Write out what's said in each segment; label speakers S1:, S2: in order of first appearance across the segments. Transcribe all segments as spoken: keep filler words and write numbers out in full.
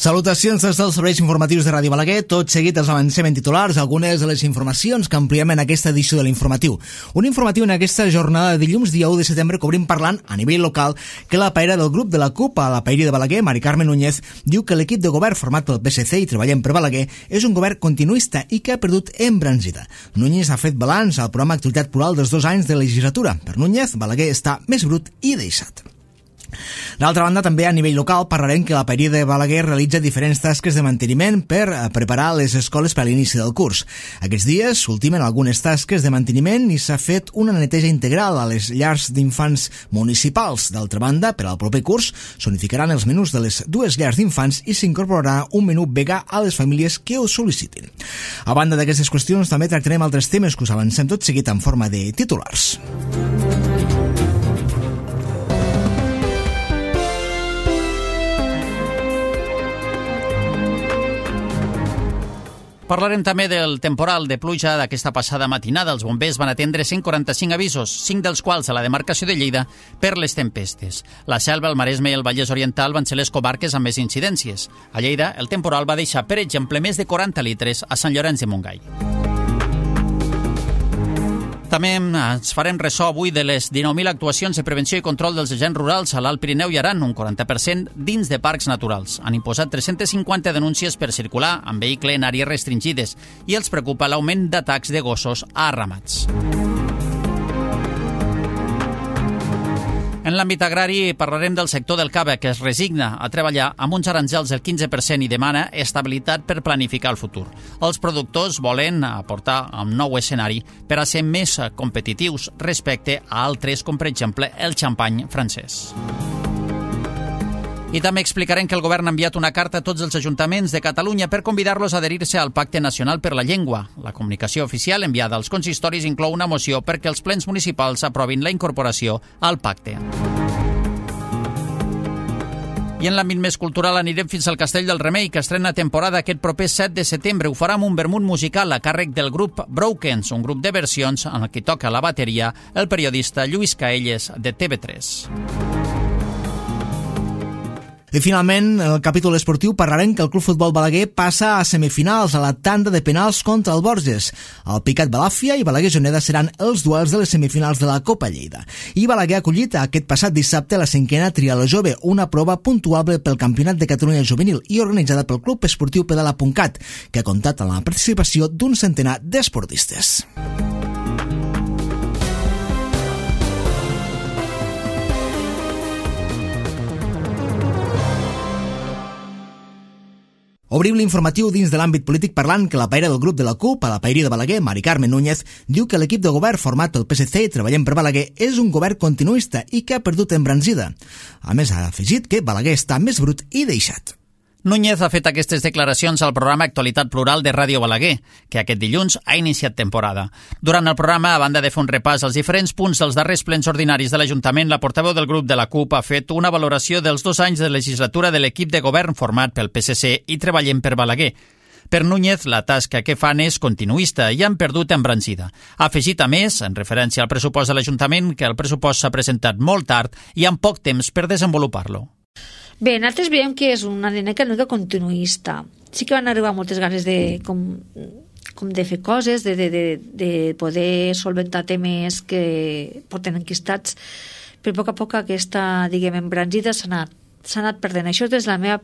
S1: Salutacions des dels serveis informatius de Ràdio Balaguer. Tot seguit els avancem en titulars algunes de les informacions que ampliem en aquesta edició de l'informatiu. Un informatiu en aquesta jornada de dilluns, dia u de setembre, que obrim parlant a nivell local que la paella del grup de la CUP a la paella de Balaguer, Mari Carme Núñez, diu que l'equip de govern format pel P S C i Treballem per Balaguer és un govern continuista i que ha perdut embranzida. Núñez ha fet balanç al programa Actualitat Plural dels dos anys de legislatura. Per Núñez, Balaguer està més brut i deixat. D'altra banda, també a nivell local parlarem que la paella de Balaguer realitza diferents tasques de manteniment per preparar les escoles per a l'inici del curs. Aquests dies s'ultimen algunes tasques de manteniment i s'ha fet una neteja integral a les llars d'infants municipals. D'altra banda, per al proper curs s'unificaran els menús de les dues llars d'infants i s'incorporarà un menú vegà a les famílies que ho sol·licitin. A banda d'aquestes qüestions, també tractarem altres temes que us avancem tot seguit en forma de titulars.
S2: Parlarem també del temporal de pluja d'aquesta passada matinada. Els bombers van atendre cent quaranta-cinc avisos, cinc dels quals a la demarcació de Lleida per les tempestes. La Selva, el Maresme i el Vallès Oriental van ser les comarques amb més incidències. A Lleida, el temporal va deixar, per exemple, més de quaranta litres a Sant Llorenç de Montgai. També ens farem ressò avui de les dinou mil actuacions de prevenció i control dels agents rurals a l'Alt Pirineu i Aran, un quaranta per cent dins de parcs naturals. Han imposat tres-centes cinquanta denúncies per circular amb vehicle en àrees restringides i els preocupa l'augment d'atacs de gossos a ramats. En l'àmbit agrari parlarem del sector del cava, que es resigna a treballar amb uns aranzels del quinze per cent i demana estabilitat per planificar el futur. Els productors volen aportar un nou escenari per a ser més competitius respecte a altres, com per exemple el xampany francès. I també explicarem que el govern ha enviat una carta a tots els ajuntaments de Catalunya per convidar-los a adherir-se al Pacte Nacional per la Llengua. La comunicació oficial enviada als consistoris inclou una moció perquè els plens municipals aprovin la incorporació al pacte. I en l'àmbit més cultural anirem fins al Castell del Remei, que estrena temporada aquest proper set de setembre. Ho farà amb un vermut musical a càrrec del grup Brokens, un grup de versions en el que toca la bateria el periodista Lluís Caelles de T V tres.
S1: I finalment, en el capítol esportiu parlarem que el Club Futbol Balaguer passa a semifinals a la tanda de penals contra el Borges. El Picat Balàfia i Balaguer Juneda seran els duels de les semifinals de la Copa Lleida. I Balaguer ha acollit aquest passat dissabte la cinquena Trial Jove, una prova puntuable pel Campionat de Catalunya Juvenil i organitzada pel Club Esportiu Pedala.cat, que ha comptat amb la participació d'un centenar d'esportistes. Obrim l'informatiu dins de l'àmbit polític parlant que la paella del grup de la CUP a la paella de Balaguer, Mari Carme Núñez, diu que l'equip de govern format pel P S C i Treballem per Balaguer és un govern continuista i que ha perdut embranzida. A més, ha afegit que Balaguer està més brut i deixat.
S2: Núñez ha fet aquestes declaracions al programa Actualitat Plural de Ràdio Balaguer, que aquest dilluns ha iniciat temporada. Durant el programa, a banda de fer un repàs als diferents punts dels darrers plens ordinaris de l'Ajuntament, la portaveu del grup de la CUP ha fet una valoració dels dos anys de legislatura de l'equip de govern format pel P S C i Treballem per Balaguer. Per Núñez, la tasca que fan és continuista i han perdut embranzida. Ha afegit, a més, en referència al pressupost de l'Ajuntament, que el pressupost s'ha presentat molt tard i amb poc temps per desenvolupar-lo.
S3: Bé, nosaltres veiem que és una dinàmica una mica continuista. Sí que van arribar moltes ganes de, com, com de fer coses, de, de, de, de poder solventar temes que porten enquistats, però a poc a poc aquesta, diguem, embranzida s'ha anat, s'ha anat perdent. Això des de la meva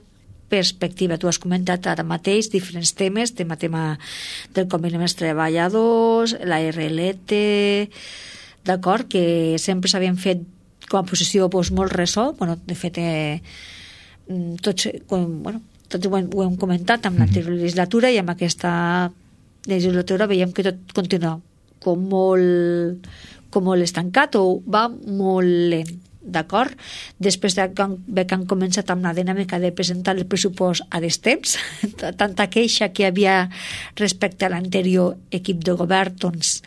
S3: perspectiva. Tu has comentat ara mateix diferents temes, tema, tema del conveni dels treballadors, la R L T, d'acord, que sempre s'havien fet com a posició doncs, molt ressò. Bueno, de fet, eh, tots, com, bueno, tots ho hem, ho hem comentat amb l'anterior legislatura i amb aquesta legislatura veiem que tot continua com molt, com molt estancat o va molt lent, d'acord? Després de que han, que han començat amb la dinàmica de presentar el pressupost a destemps, tanta queixa que hi havia respecte a l'anterior equip de govern, doncs,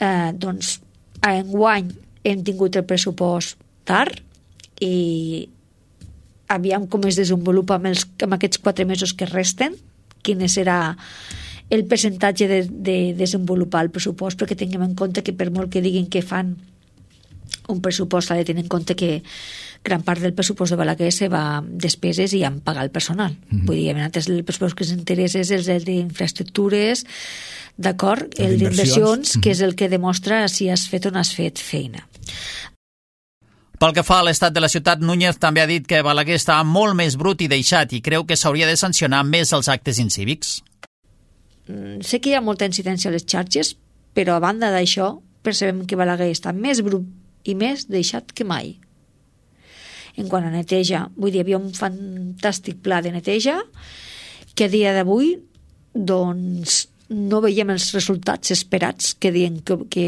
S3: eh, doncs a enguany hem tingut el pressupost tard i aviam com es desenvolupa amb, els, amb aquests quatre mesos que resten, quin serà el percentatge de, de desenvolupar el pressupost, perquè tinguem en compte que per molt que diguin que fan un pressupost ha de tenir en compte que gran part del pressupost de Balaguer se va a despeses i a pagar el personal. Mm-hmm. Vull dir, antes el pressupost que ens interessa és el d'infraestructures, d'acord, el d'inversions, mm-hmm. que és el que demostra si has fet o no has fet feina.
S2: Pel que fa a l'estat de la ciutat, Núñez també ha dit que Balaguer està molt més brut i deixat i creu que s'hauria de sancionar més els actes incívics.
S3: Mm, sé que hi ha molta incidència a les xarxes, però a banda d'això percebem que Balaguer està més brut i més deixat que mai. En quant a neteja, vull dir, hi havia un fantàstic pla de neteja que a dia d'avui doncs no veiem els resultats esperats que diuen que, que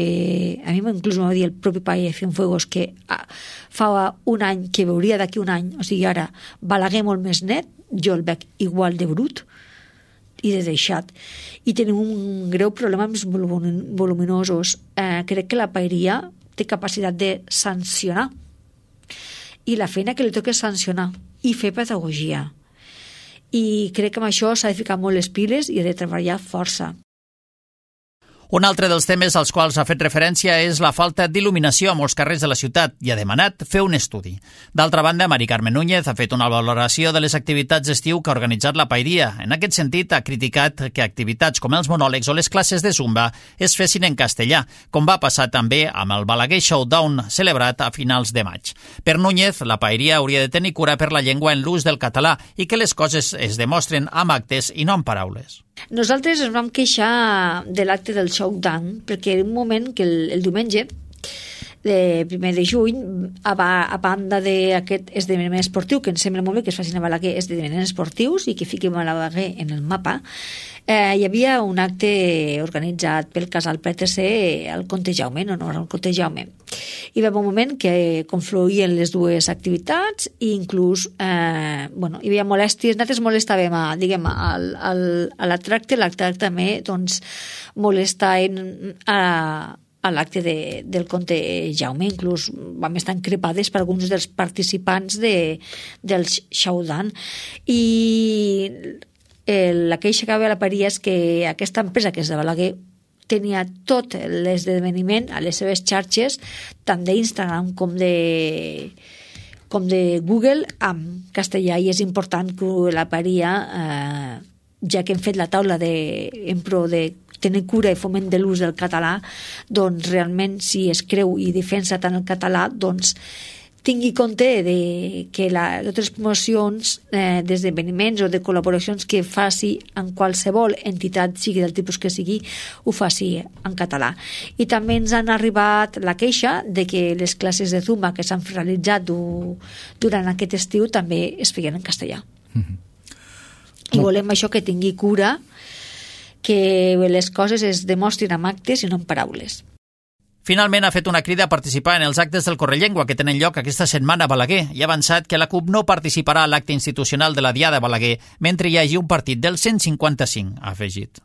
S3: a mi inclús m'ho va dir el propi país de Cienfuegos que ah, fa un any que veuria d'aquí un any, o sigui ara Balaguer molt més net, jo el veig igual de brut i de deixat i tenim un greu problema amb els voluminosos. Eh, crec que la paeria té capacitat de sancionar i la feina que li toca és sancionar i fer pedagogia. I crec que amb això s'ha de ficar molt les piles i ha de treballar força.
S2: Un altre dels temes als quals ha fet referència és la falta d'il·luminació a molts carrers de la ciutat i ha demanat fer un estudi. D'altra banda, Mari Carmen Núñez ha fet una valoració de les activitats d'estiu que ha organitzat la paeria. En aquest sentit, ha criticat que activitats com els monòlegs o les classes de zumba es fessin en castellà, com va passar també amb el Balaguer Showdown celebrat a finals de maig. Per Núñez, la paeria hauria de tenir cura per la llengua en l'ús del català i que les coses es demostren amb actes i no amb paraules.
S3: Nosaltres ens vam queixar de l'acte del Showdown perquè en un moment que el, el diumenge de primer de juny a, a banda d'aquest esdeveniment esportiu que ens sembla molt bé que es facin a Balaguer esdeveniments esportius i que fiquem a Balaguer en el mapa, eh, hi havia un acte organitzat pel casal P T C al Comte Jaume, en honor al Comte Jaume. Hi va haver un moment que confluïen les dues activitats i inclús eh, bueno, hi havia molèsties, nosaltres molestàvem a, diguem, al, al, a la tracte, l'acte també doncs, molestaven a a l'acte de, del Comte Jaume, inclús vam estar encrepades per alguns dels participants de, del Showdown. I el, la queixa que va a la paeria és que aquesta empresa, que és de Balaguer, tenia tot l'esdeveniment a les seves xarxes, tant d'Instagram com de com de Google, amb castellà, i és important que la paeria, eh, ja que hem fet la taula de, en pro de tenir cura i foment de l'ús del català, doncs realment si es creu i defensa tant el català, doncs tingui compte de que la, totes les promocions eh, d'esdeveniments o de col·laboracions que faci en qualsevol entitat, sigui del tipus que sigui, ho faci en català. I també ens han arribat la queixa de que les classes de Zumba que s'han realitzat du, durant aquest estiu també es feien en castellà. Mm-hmm. I volem això que tingui cura, que les coses es demostrin amb actes i no amb paraules.
S2: Finalment ha fet una crida a participar en els actes del Correllengua que tenen lloc aquesta setmana a Balaguer i ha avançat que la CUP no participarà a l'acte institucional de la Diada a Balaguer mentre hi hagi un partit del cent cinquanta-cinc, ha afegit.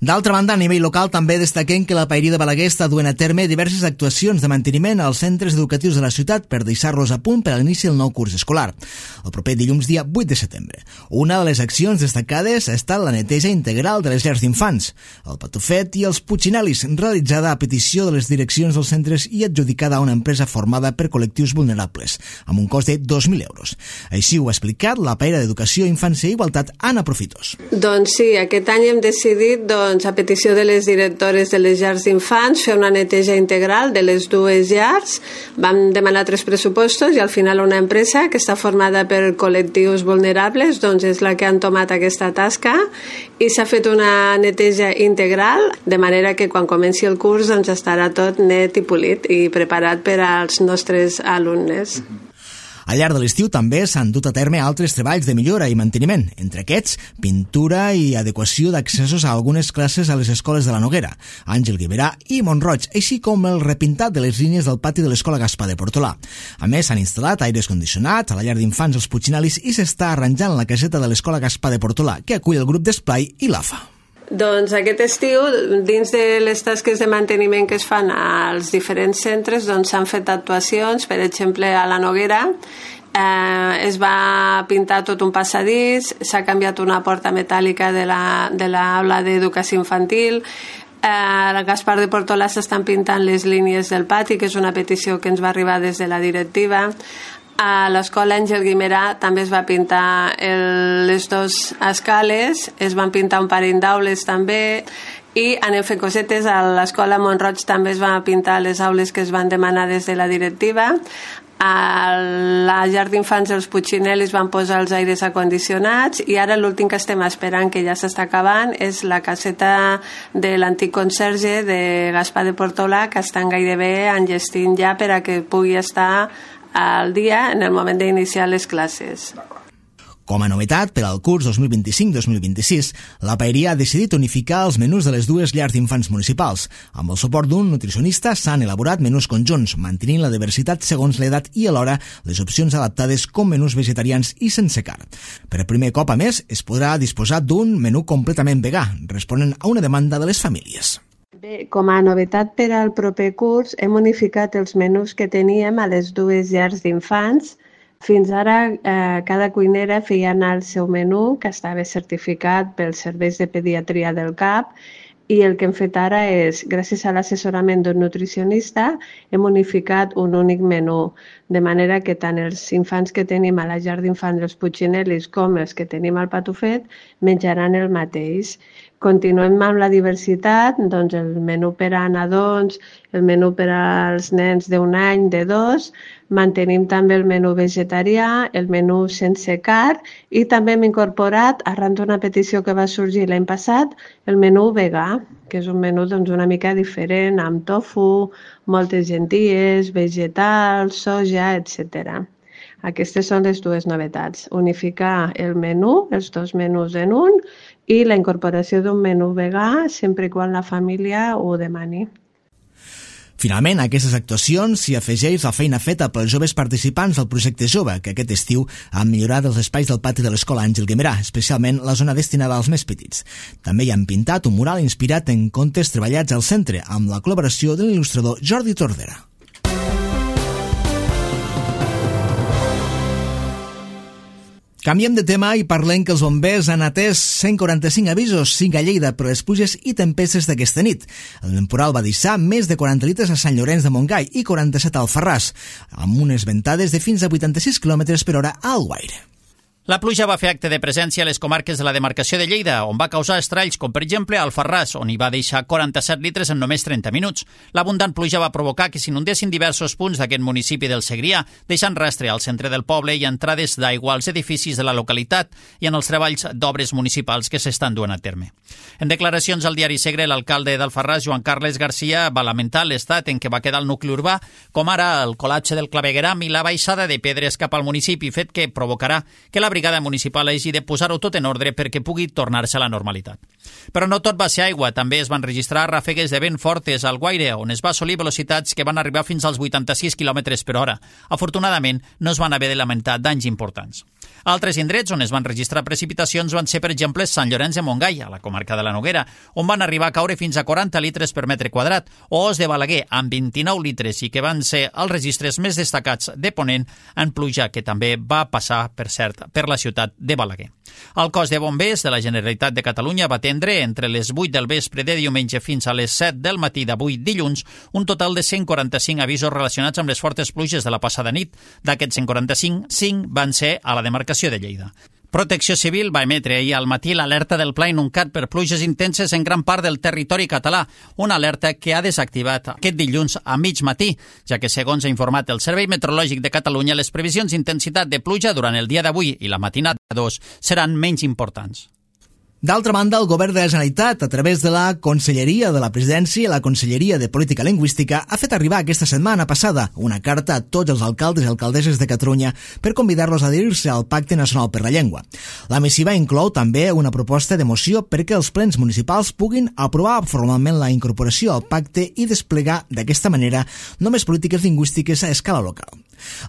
S1: D'altra banda, a nivell local també destaquem que la paeria de Balaguer està duent a terme diverses actuacions de manteniment als centres educatius de la ciutat per deixar-los a punt per a l'inici del nou curs escolar, el proper dilluns dia vuit de setembre. Una de les accions destacades ha estat la neteja integral de les llars d'infants, el Patufet i els Puccinelis, realitzada a petició de les direccions dels centres i adjudicada a una empresa formada per col·lectius vulnerables, amb un cost de dos mil euros. Així ho ha explicat la paella d'Educació, Infància i Igualtat, Anna Profitos.
S4: Doncs sí, aquest any hem decidit, doncs, Doncs, a petició de les directores de les llars d'infants, fer una neteja integral de les dues llars. Vam demanar tres pressupostos i al final una empresa que està formada per col·lectius vulnerables doncs és la que han tomat aquesta tasca i s'ha fet una neteja integral de manera que quan comenci el curs doncs estarà tot net i polit i preparat per als nostres alumnes.
S1: Al llarg de l'estiu també s'han dut a terme altres treballs de millora i manteniment, entre aquests, pintura i adequació d'accessos a algunes classes a les escoles de la Noguera, Àngel Guimerà i Montroig, així com el repintat de les línies del pati de l'Escola Gaspar de Portolà. A més, s'han instal·lat aires condicionats a la llar d'infants Els Puccinelis i s'està arranjant la caseta de l'Escola Gaspar de Portolà, que acull el grup d'esplai i l'A F A.
S4: Doncs aquest estiu, dins de les tasques de manteniment que es fan als diferents centres, doncs s'han fet actuacions, per exemple a la Noguera, eh, es va pintar tot un passadís, s'ha canviat una porta metàl·lica de la, de l'aula d'educació infantil, Eh, el Gaspar de Portolà s'estan pintant les línies del pati, que és una petició que ens va arribar des de la directiva. A l'escola Àngel Guimerà també es va pintar el, les dues escales, es van pintar un parell d'aules també, i anem fent cosetes. A l'escola Montroig també es van pintar les aules que es van demanar des de la directiva. A la llar d'infants dels Puigcinel van posar els aires acondicionats, i ara l'últim que estem esperant, que ja s'està acabant, és la caseta de l'antic conserge de Gaspar de Portolà, que estan gairebé enllestint ja per a que pugui estar al dia en el moment d'iniciar les classes.
S1: Com a novetat, per al curs dos mil vint-i-cinc dos mil vint-i-sis, la Paeria ha decidit unificar els menús de les dues llars d'infants municipals. Amb el suport d'un nutricionista s'han elaborat menús conjunts, mantenint la diversitat segons l'edat i alhora les opcions adaptades com menús vegetarians i sense carn. Per primer cop, a més, es podrà disposar d'un menú completament vegà, responent a una demanda de les famílies.
S4: Bé, com a novetat per al proper curs, hem unificat els menús que teníem a les dues llars d'infants. Fins ara, eh, cada cuinera feia anar el seu menú, que estava certificat pels serveis de pediatria del C A P, i el que hem fet ara és, gràcies a l'assessorament d'un nutricionista, hem unificat un únic menú, de manera que tant els infants que tenim a la llar d'infants dels Puigcinelis com els que tenim al Patufet menjaran el mateix. Continuem amb la diversitat, doncs el menú per a nadons, el menú per als nens d'un any, de dos, mantenim també el menú vegetarià, el menú sense carn, i també hem incorporat, arran d'una petició que va sorgir l'any passat, el menú vegà, que és un menú doncs, una mica diferent, amb tofu, moltes llenties, vegetals, soja, etcètera. Aquestes són les dues novetats, unificar el menú, els dos menús en un, i la incorporació d'un menú vegà sempre quan la família ho demani.
S1: Finalment, a aquestes actuacions s'hi afegeix la feina feta pels joves participants del projecte Jove, que aquest estiu han millorat els espais del pati de l'escola Àngel Guimerà, especialment la zona destinada als més petits. També hi han pintat un mural inspirat en contes treballats al centre, amb la col·laboració de l'il·lustrador Jordi Tordera. Canviem de tema i parlem que els bombers han atès cent quaranta-cinc avisos, cinc a Lleida, per les pluges i tempestes d'aquesta nit. El temporal va deixar més de quaranta litres a Sant Llorenç de Montgai i quaranta-set al Alfarràs, amb unes ventades de fins a vuitanta-sis quilòmetres per hora a Alguaire.
S2: La pluja va fer acte de presència a les comarques de la demarcació de Lleida, on va causar estralls, com per exemple a Alfarràs, on hi va deixar quaranta-set litres en només trenta minuts. L'abundant pluja va provocar que s'inundessin diversos punts d'aquest municipi del Segrià, deixant rastre al centre del poble i entrades d'aigua als edificis de la localitat i en els treballs d'obres municipals que s'estan duent a terme. En declaracions al diari Segre, l'alcalde d'Alfarràs, Joan Carles Garcia, va lamentar l'estat en què va quedar el nucli urbà, com ara el col·lapse del clavegueram i la baixada de pedres cap al municipi, fet que provocarà que la brigada municipal hagi de posar-ho tot en ordre perquè pugui tornar-se a la normalitat. Però no tot va ser aigua, també es van registrar ràfegues de vent fortes al Guaire, on es va assolir velocitats que van arribar fins als vuitanta-sis quilòmetres per hora. Afortunadament, no es van haver de lamentar danys importants. Altres indrets on es van registrar precipitacions van ser, per exemple, Sant Llorenç de Montgai, a la comarca de la Noguera, on van arribar a caure fins a quaranta litres per metre quadrat, o Os de Balaguer, amb vint-i-nou litres, i que van ser els registres més destacats de Ponent en pluja, que també va passar, per cert, per la ciutat de Balaguer. El cos de bombers de la Generalitat de Catalunya va atendre entre les vuit del vespre de diumenge fins a les set del matí d'avui dilluns un total de cent quaranta-cinc avisos relacionats amb les fortes pluges de la passada nit. D'aquests cent quaranta-cinc, cinc van ser a la demarcació de Lleida. Protecció Civil va emetre ahir al matí l'alerta del Pla Inuncat per pluges intenses en gran part del territori català, una alerta que ha desactivat aquest dilluns a mig matí, ja que, segons ha informat el Servei Meteorològic de Catalunya, les previsions d'intensitat de pluja durant el dia d'avui i la matinada dos seran menys importants.
S1: D'altra banda, el govern de la Generalitat, a través de la Conselleria de la Presidència i la Conselleria de Política Lingüística, ha fet arribar aquesta setmana passada una carta a tots els alcaldes i alcaldesses de Catalunya per convidar-los a adherir-se al Pacte Nacional per la Llengua. La missiva inclou també una proposta de moció perquè els plens municipals puguin aprovar formalment la incorporació al pacte i desplegar d'aquesta manera només polítiques lingüístiques a escala local.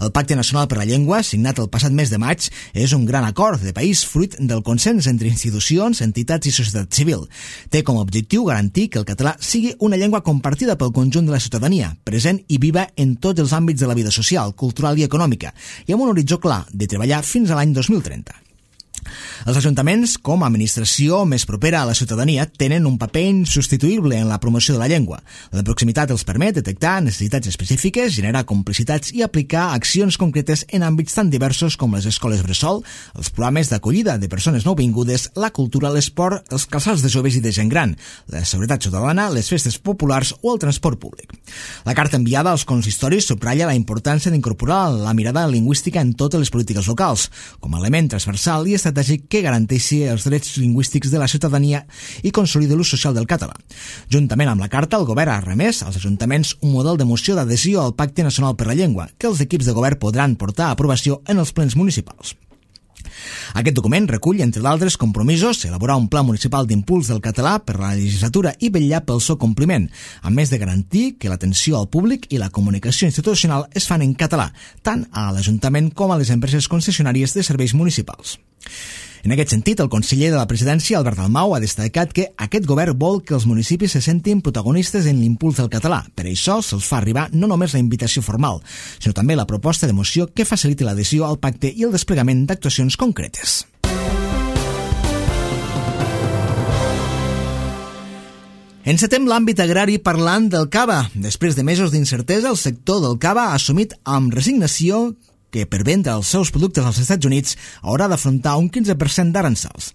S1: El Pacte Nacional per la Llengua, signat el passat mes de maig, és un gran acord de país fruit del consens entre institucions, entitats i societat civil. Té com a objectiu garantir que el català sigui una llengua compartida pel conjunt de la ciutadania, present i viva en tots els àmbits de la vida social, cultural i econòmica, i amb un horitzó clar de treballar fins a l'any dos mil trenta. Els ajuntaments, com a administració més propera a la ciutadania, tenen un paper insubstituïble en la promoció de la llengua. La proximitat els permet detectar necessitats específiques, generar complicitats i aplicar accions concretes en àmbits tan diversos com les escoles bressol, els programes d'acollida de persones nouvingudes, la cultura, l'esport, els casals de joves i de gent gran, la seguretat ciutadana, les festes populars o el transport públic. La carta enviada als consistoris subratlla la importància d'incorporar la mirada lingüística en totes les polítiques locals, com a element transversal i estratègic que garanteixi els drets lingüístics de la ciutadania i consolidi l'ús social del català. Juntament amb la carta, el govern ha remès als ajuntaments un model de moció d'adhesió al Pacte Nacional per la Llengua, que els equips de govern podran portar a aprovació en els plens municipals. Aquest document recull, entre d'altres compromisos, elaborar un pla municipal d'impuls del català per a la legislatura i vetllar pel seu compliment, a més de garantir que l'atenció al públic i la comunicació institucional es fan en català, tant a l'Ajuntament com a les empreses concessionàries de serveis municipals. En aquest sentit, el conseller de la presidència, Albert Dalmau, ha destacat que aquest govern vol que els municipis se sentin protagonistes en l'impuls del català. Per això se'ls fa arribar no només la invitació formal, sinó també la proposta de moció que faciliti l'adhesió al pacte i el desplegament d'actuacions concretes. Encetem l'àmbit agrari parlant del cava. Després de mesos d'incertesa, el sector del cava ha assumit amb resignació que per vendre els seus productes als Estats Units haurà d'afrontar un quinze per cent d'aranzels.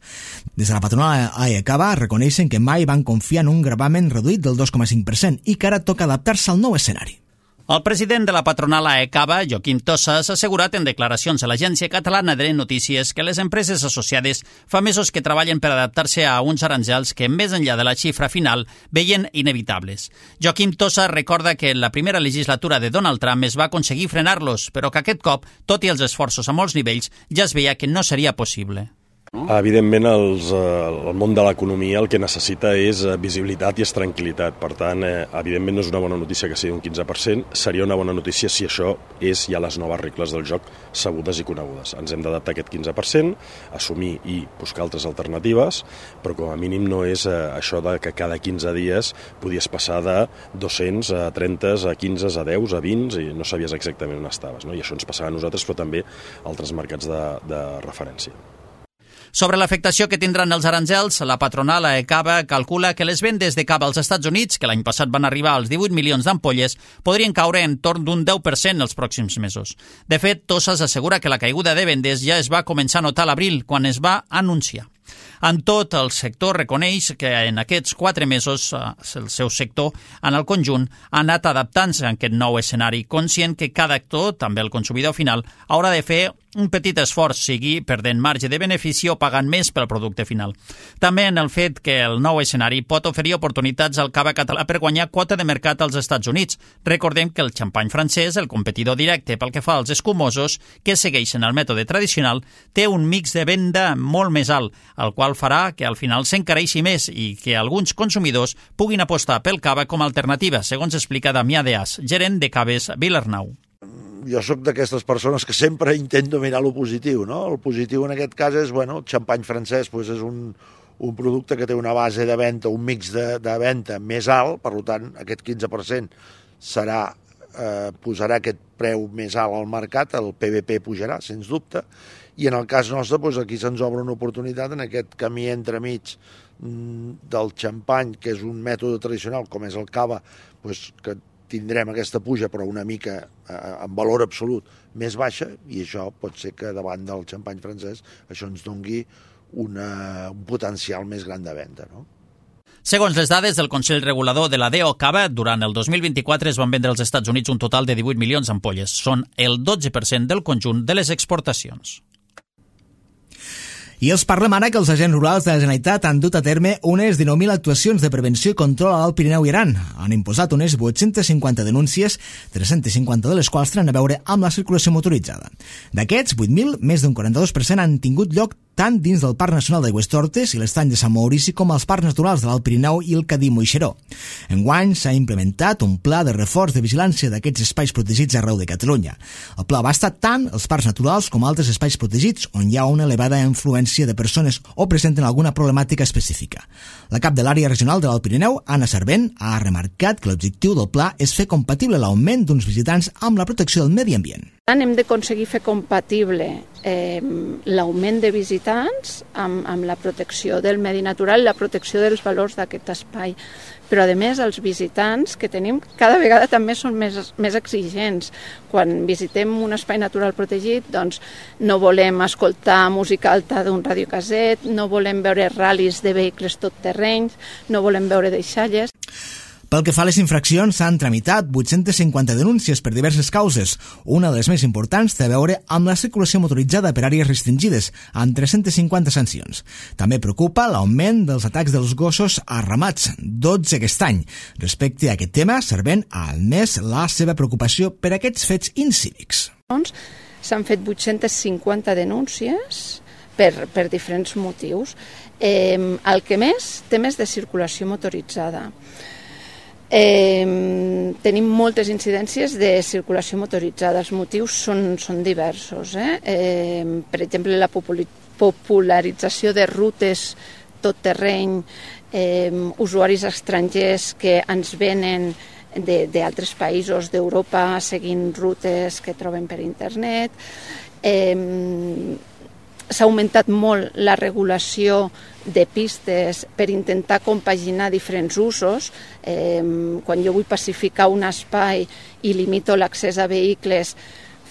S1: Des de la patronal AECABA reconeixen que mai van confiar en un gravamen reduït del dos coma cinc per cent i que ara toca adaptar-se al nou escenari.
S2: El president de la patronal AECABA, Joaquim Tossa, s'ha assegurat en declaracions a l'Agència Catalana de Notícies que les empreses associades fa mesos que treballen per adaptar-se a uns aranzels que, més enllà de la xifra final, veien inevitables. Joaquim Tossa recorda que en la primera legislatura de Donald Trump es va aconseguir frenar-los, però que aquest cop, tot i els esforços a molts nivells, ja es veia que no seria possible.
S5: Evidentment, els, el món de l'economia el que necessita és visibilitat i és tranquil·litat. Per tant, eh, evidentment no és una bona notícia que sigui un quinze per cent. Seria una bona notícia si això és ja les noves regles del joc sabudes i conegudes. Ens hem d'adaptar a aquest quinze per cent, assumir i buscar altres alternatives, però com a mínim no és eh, això de que cada quinze dies podies passar de dos-cents a trenta, a quinze, a deu, a vint i no sabies exactament on estaves. No? I això ens passava a nosaltres, però també a altres mercats de, de referència.
S2: Sobre l'afectació que tindran els aranzels, la patronal AECABA calcula que les vendes de cava als Estats Units, que l'any passat van arribar als divuit milions d'ampolles, podrien caure en torn d'un deu per cent els pròxims mesos. De fet, Tossas assegura que la caiguda de vendes ja es va començar a notar a l'abril, quan es va anunciar. En tot, el sector reconeix que en aquests quatre mesos el seu sector, en el conjunt, ha anat adaptant-se a aquest nou escenari, conscient que cada actor, també el consumidor final, haurà de fer un petit esforç, sigui perdent marge de benefici o pagant més pel producte final. També en el fet que el nou escenari pot oferir oportunitats al cava català per guanyar quota de mercat als Estats Units. Recordem que el xampany francès, el competidor directe pel que fa als escumosos, que segueixen el mètode tradicional, té un mix de venda molt més alt, el qual farà que al final s'encareixi més i que alguns consumidors puguin apostar pel cava com a alternativa, segons explica Damià Deàs, gerent de Caves Vilarnau.
S6: Jo sóc d'aquestes persones que sempre intento mirar lo positiu, no? El positiu en aquest cas és, bueno, el xampany francès pues és un, un producte que té una base de venda, un mix de, de venda més alt, per tant, aquest quinze per cent serà, eh, posarà aquest preu més alt al mercat, el P V P pujarà, sens dubte, i en el cas nostre, pues, aquí se'ns obre una oportunitat en aquest camí entremig del xampany, que és un mètode tradicional, com és el cava, pues, que tindrem aquesta puja, però una mica eh, en valor absolut més baixa, i això pot ser que davant del xampany francès això ens dongui una, un potencial més gran de venda, no?
S2: Segons les dades del Consell Regulador de la D O Cava, durant el dos mil vint-i-quatre es van vendre als Estats Units un total de divuit milions d'ampolles. Són el dotze per cent del conjunt de les exportacions.
S1: I els parlem ara que els agents rurals de la Generalitat han dut a terme unes dinou mil actuacions de prevenció i control a l'Alt Pirineu i Aran. Han imposat unes vuit-centes cinquanta denúncies, tres-centes cinquanta de les quals tenen a veure amb la circulació motoritzada. D'aquests vuit mil, més d'un quaranta-dos per cent han tingut lloc tant dins del Parc Nacional d'Aigüestortes i l'Estany de Sant Maurici com als parcs naturals de l'Alt Pirineu i el Cadí Moixeró. Enguany s'ha implementat un pla de reforç de vigilància d'aquests espais protegits arreu de Catalunya. El pla abasta tant els parcs naturals com altres espais protegits on hi ha una elevada influència de persones o presenten alguna problemàtica específica. La cap de l'àrea regional de l'Alt Pirineu, Anna Servent, ha remarcat que l'objectiu del pla és fer compatible l'augment d'uns visitants amb la protecció del medi ambient.
S7: Hem d'aconseguir fer compatible eh, l'augment de visitants amb, amb la protecció del medi natural, la protecció dels valors d'aquest espai. Però, a més, els visitants que tenim cada vegada també són més, més exigents. Quan visitem un espai natural protegit, doncs no volem escoltar música alta d'un radiocaset, no volem veure ral·lis de vehicles tot terrenys, no volem veure deixalles.
S1: Pel que fa a les infraccions, s'han tramitat vuit-centes cinquanta denúncies per diverses causes. Una de les més importants té a veure amb la circulació motoritzada per àrees restringides, amb tres-centes cinquanta sancions. També preocupa l'augment dels atacs dels gossos a ramats, dotze aquest any. Respecte a aquest tema, Servent ha admès la seva preocupació per aquests fets incívics.
S7: S'han fet vuit-centes cinquanta denúncies per, per diferents motius. Eh, el que més té més de circulació motoritzada. Eh, tenim moltes incidències de circulació motoritzada. Els motius són, són diversos. Eh? Eh, per exemple, la popularització de rutes tot terreny, eh, usuaris estrangers que ens venen d'altres països d'Europa seguint rutes que troben per internet. Eh, S'ha augmentat molt la regulació de pistes per intentar compaginar diferents usos. Eh, quan jo vull pacificar un espai i limito l'accés a vehicles,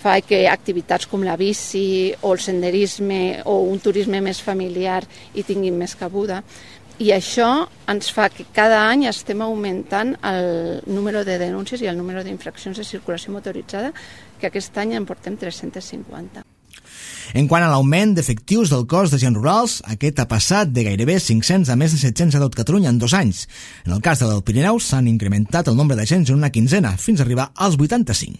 S7: fa que activitats com la bici o el senderisme o un turisme més familiar hi tinguin més cabuda. I això ens fa que cada any estem augmentant el número de denúncies i el número d'infraccions de circulació motoritzada, que aquest any en portem tres-centes cinquanta.
S1: En quant a l'augment d'efectius del cos d'agents rurals, aquest ha passat de gairebé cinc-cents a més de set-cents a tot Catalunya en dos anys. En el cas de l'Alt Pirineu s'han incrementat el nombre d'agents en una quinzena, fins a arribar als vuitanta-cinc.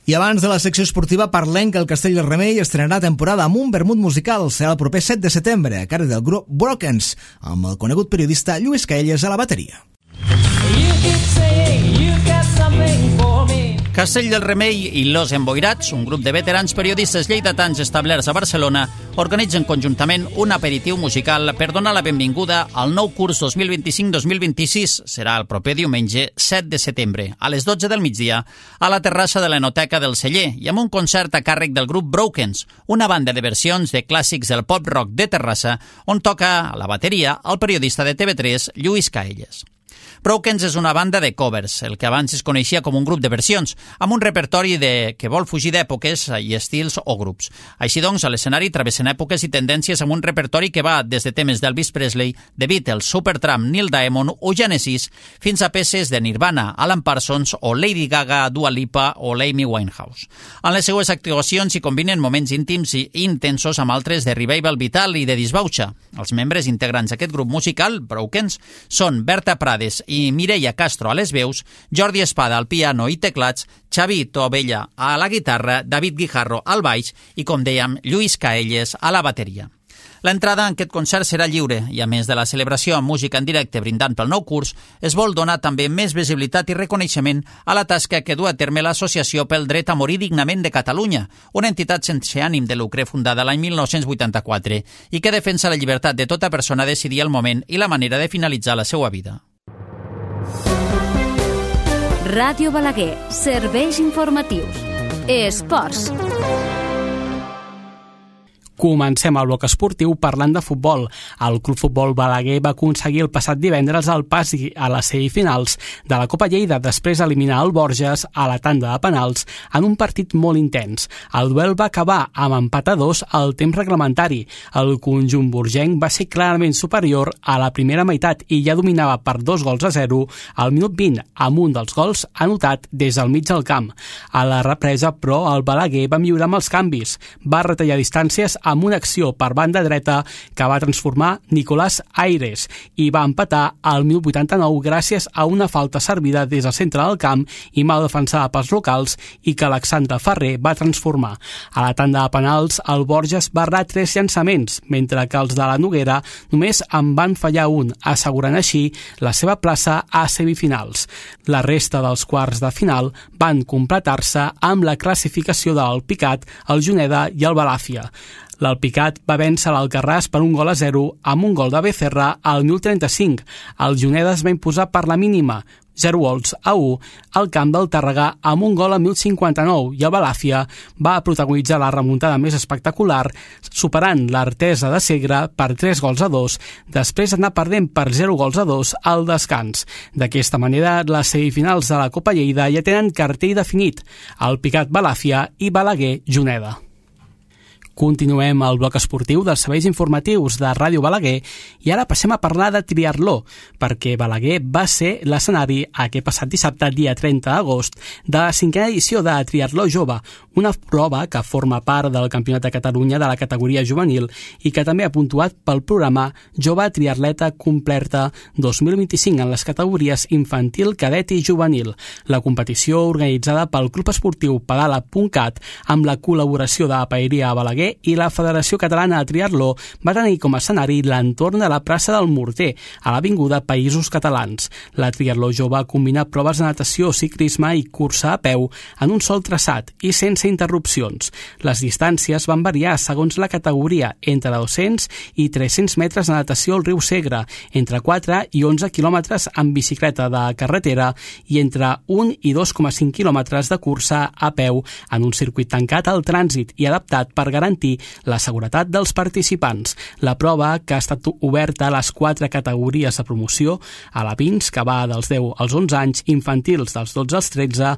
S1: I abans de la secció esportiva parlem que el Castell del Remei estrenarà temporada amb un vermut musical. Serà el proper set de setembre, a càrrec del grup Brokens, amb el conegut periodista Lluís Caelles a la bateria.
S2: Castell del Remei i Los Emboirats, un grup de veterans periodistes lleidatans establerts a Barcelona, organitzen conjuntament un aperitiu musical per donar la benvinguda al nou curs dos mil vint-i-cinc dos mil vint-i-sis. Serà el proper diumenge set de setembre, a les dotze del migdia, a la terrassa de l'Enoteca del Celler i amb un concert a càrrec del grup Brokens, una banda de versions de clàssics del pop-rock de Terrassa, on toca a la bateria el periodista de T V tres, Lluís Caelles. Brokens és una banda de covers, el que abans es coneixia com un grup de versions, amb un repertori de... que vol fugir d'èpoques i estils o grups. Així doncs, a l'escenari travessen èpoques i tendències amb un repertori que va des de temes d'Elvis Presley, The Beatles, Supertramp, Neil Diamond o Genesis, fins a peces de Nirvana, Alan Parsons o Lady Gaga, Dua Lipa o l'Amy Winehouse. En les seues actuacions hi combinen moments íntims i intensos amb altres de revival vital i de disbauxa. Els membres integrants d'aquest grup musical, Brokens, són Berta Prades i Mireia Castro a les veus, Jordi Espada al piano i teclats, Xavi Tovella a la guitarra, David Guijarro al baix i, com dèiem, Lluís Caelles a la bateria. L'entrada en aquest concert serà lliure i, a més de la celebració amb música en directe brindant pel nou curs, es vol donar també més visibilitat i reconeixement a la tasca que du a terme l'Associació pel Dret a Morir Dignament de Catalunya, una entitat sense ànim de lucre fundada l'any mil nou-cents vuitanta-quatre i que defensa la llibertat de tota persona a decidir el moment i la manera de finalitzar la seva vida.
S8: Ràdio Balaguer, serveis informatius. Esports.
S9: Comencem el bloc esportiu parlant de futbol. El Club Futbol Balaguer va aconseguir el passat divendres el pas a les semifinals de la Copa Lleida després d'eliminar el Borges a la tanda de penals en un partit molt intens. El duel va acabar amb empat a dos al temps reglamentari. El conjunt borgenc va ser clarament superior a la primera meitat i ja dominava per dos gols a zero al minut vint amb un dels gols anotat des del mig del camp. A la represa, però, el Balaguer va millorar amb els canvis. Va retallar distàncies amb una acció per banda dreta que va transformar Nicolás Aires i va empatar al minut vuitanta-nou gràcies a una falta servida des del centre del camp i mal defensada pels locals i que Alexandre Ferrer va transformar. A la tanda de penals, el Borges va errar tres llançaments, mentre que els de la Noguera només en van fallar un, assegurant així la seva plaça a semifinals. La resta dels quarts de final van completar-se amb la classificació de l'Alpicat, el Juneda i el Balàfia. L'Alpicat va vèncer l'Alcarràs per un gol a zero amb un gol de Becerra al minut trenta-cinc. El Juneda es va imposar per la mínima, zero gols a u al camp del Tàrrega amb un gol a mil cinquanta-nou i el Balàfia va protagonitzar la remuntada més espectacular superant l'Artesa de Segre per tres gols a dos després d'anar perdent per zero gols a dos al descans. D'aquesta manera, les semifinals de la Copa Lleida ja tenen cartell definit, el Picat Balàfia i Balaguer Juneda. Continuem el bloc esportiu dels serveis informatius de Ràdio Balaguer i ara passem a parlar de triatló, perquè Balaguer va ser l'escenari aquest passat dissabte, dia trenta d'agost, de la cinquena edició de Triatló Jove, una prova que forma part del Campionat de Catalunya de la categoria juvenil i que també ha puntuat pel programa Jove Triatleta Completa dos mil vint-i-cinc en les categories infantil, cadet i juvenil. La competició, organitzada pel Club Esportiu Pedala punt cat amb la col·laboració de Paeria Balaguer i la Federació Catalana de Triatló, va tenir com a escenari l'entorn de la plaça del Morter, a l'avinguda Països Catalans. La Triatló Jove combina proves de natació, ciclisme i cursa a peu en un sol traçat i sense interrupcions. Les distàncies van variar segons la categoria, entre dos-cents i tres-cents metres de natació al riu Segre, entre quatre i onze quilòmetres amb bicicleta de carretera i entre un i dos coma cinc quilòmetres de cursa a peu en un circuit tancat al trànsit i adaptat per garantir la seguretat dels participants. La prova, que ha estat oberta a les quatre categories de promoció, a la Pins, que va dels deu als onze anys, infantils dels dotze als tretze,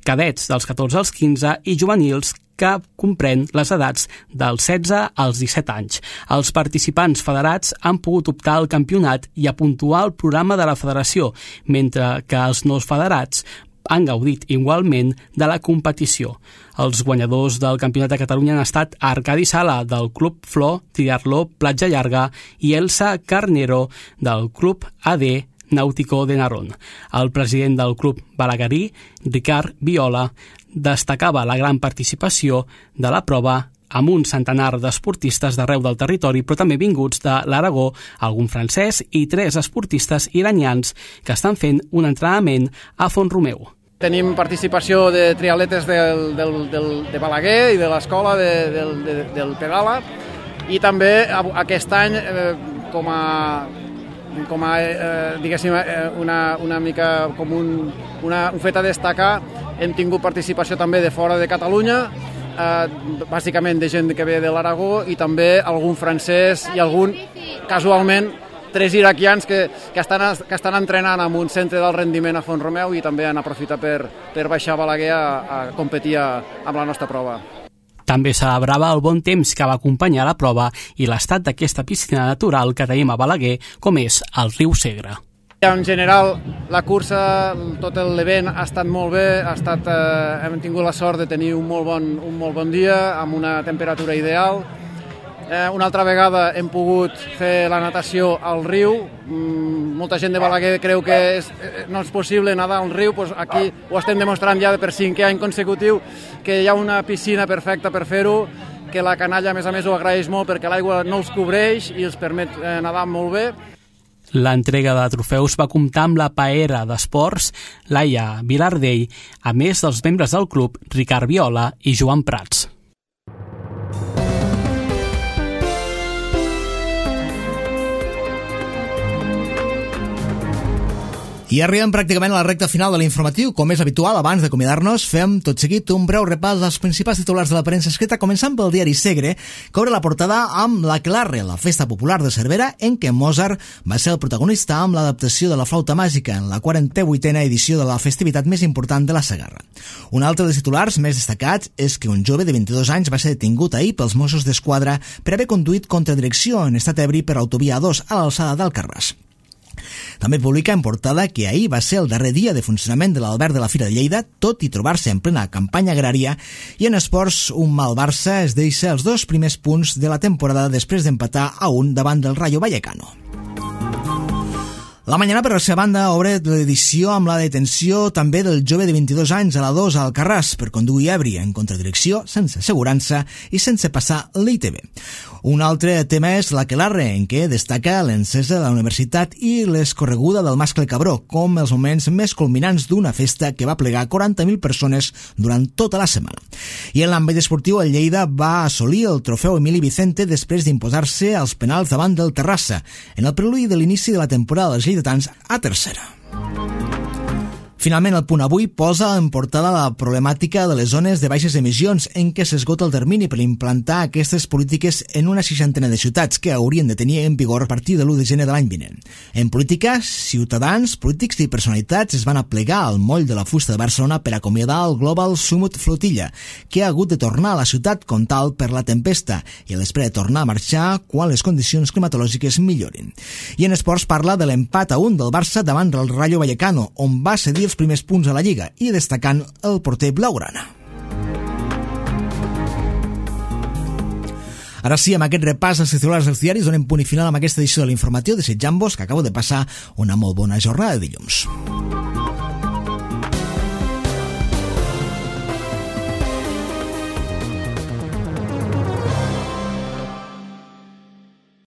S9: cadets dels catorze als quinze i juvenils, que comprèn les edats dels setze als disset anys. Els participants federats han pogut optar al campionat i a puntuar el programa de la federació, mentre que els no federats han gaudit igualment de la competició. Els guanyadors del Campionat de Catalunya han estat Arcadi Sala, del Club Flor Triatló Platja Llarga, i Elsa Carnero, del Club A D Náutico de Narón. El president del Club Balaguerí, Ricard Viola, destacava la gran participació de la prova amb un centenar d'esportistes d'arreu del territori, però també vinguts de l'Aragó, algun francès i tres esportistes iranians que estan fent un entrenament a Font-romeu.
S10: Tenim participació de triatletes del, del, del, de Balaguer i de l'escola de, del, de, del Pedala, i també aquest any eh, com a, com a eh, diguéssim, una, una mica com un, una, un fet a destacar, hem tingut participació també de fora de Catalunya, eh, bàsicament de gent que ve de l'Aragó i també algun francès i algun, casualment, tres iraquians que, que, estan, que estan entrenant en un centre del rendiment a Font-romeu i també han aprofitat per, per baixar a Balaguer a, a competir a, amb la nostra prova.
S9: També celebrava el bon temps que va acompanyar la prova i l'estat d'aquesta piscina natural que tenim a Balaguer, com és el riu Segre.
S10: En general, la cursa, tot l'event ha estat molt bé, ha estat, eh, hem tingut la sort de tenir un molt bon, un molt bon dia, amb una temperatura ideal. Eh, una altra vegada hem pogut fer la natació al riu. Mm, molta gent de Balaguer creu que és, no és possible nedar al riu, doncs aquí ho estem demostrant ja per cinquè any consecutiu, que hi ha una piscina perfecta per fer-ho, que la canalla a més a més ho agraeix molt perquè l'aigua no els cobreix i els permet eh, nedar molt bé.
S9: L'entrega de trofeus va comptar amb la paera d'esports Laia Vilardell, a més dels membres del club Ricard Viola i Joan Prats.
S1: I arribem pràcticament a la recta final de l'informatiu. Com és habitual, abans d'acomiadar-nos, fem tot seguit un breu repàs dels principals titulars de la premsa escrita, començant pel diari Segre, que obre la portada amb l'Aquelarre, la festa popular de Cervera, en què Mozart va ser el protagonista amb l'adaptació de la flauta màgica en la quaranta-vuitena edició de la festivitat més important de la Segarra. Un altre dels titulars més destacats és que un jove de vint-i-dos anys va ser detingut ahir pels Mossos d'Esquadra per haver conduït contra direcció en estat ebri per autovia A dos a l'alçada d'Alcarràs. També publica en portada que ahir va ser el darrer dia de funcionament de l'Alberg de la Fira de Lleida, tot i trobar-se en plena campanya agrària, i en esports un mal Barça es deixa els dos primers punts de la temporada després d'empatar a un davant del Rayo Vallecano. La Mañana, per la seva banda, obre l'edició amb la detenció també del jove de vint-i-dos anys a la dos a Alcarràs per conduir ebri en contradirecció, sense assegurança i sense passar l'I T B. Un altre tema és l'Aquelarre, en què destaca l'encesa de la universitat i l'escorreguda del mascle Cabró, com els moments més culminants d'una festa que va plegar quaranta mil persones durant tota la setmana. I en l'àmbit esportiu, el Lleida va assolir el trofeu Emili Vicente després d'imposar-se als penals davant del Terrassa, en el preludi de l'inici de la temporada dels lleidatans a tercera. Finalment, el Punt Avui posa en portada la problemàtica de les zones de baixes emissions, en què s'esgota el termini per implantar aquestes polítiques en una seixantena de ciutats que haurien de tenir en vigor a partir de l'u de gener de l'any vinent. En política, ciutadans, polítics i personalitats es van aplegar al moll de la fusta de Barcelona per acomiadar el Global Summit Flotilla, que ha hagut de tornar a la ciutat com tal per la tempesta i a l'espera de tornar a marxar quan les condicions climatològiques millorin. I en esports parla de l'empat a un del Barça davant del Rayo Vallecano, on va cedir els primers punts a la Lliga, i destacant el porter blaugrana. Ara sí, amb aquest repàs als titulars dels diaris donem punt i final amb aquesta edició de l'informatiu, desitjant-vos que acabo de passar una molt bona jornada de dilluns.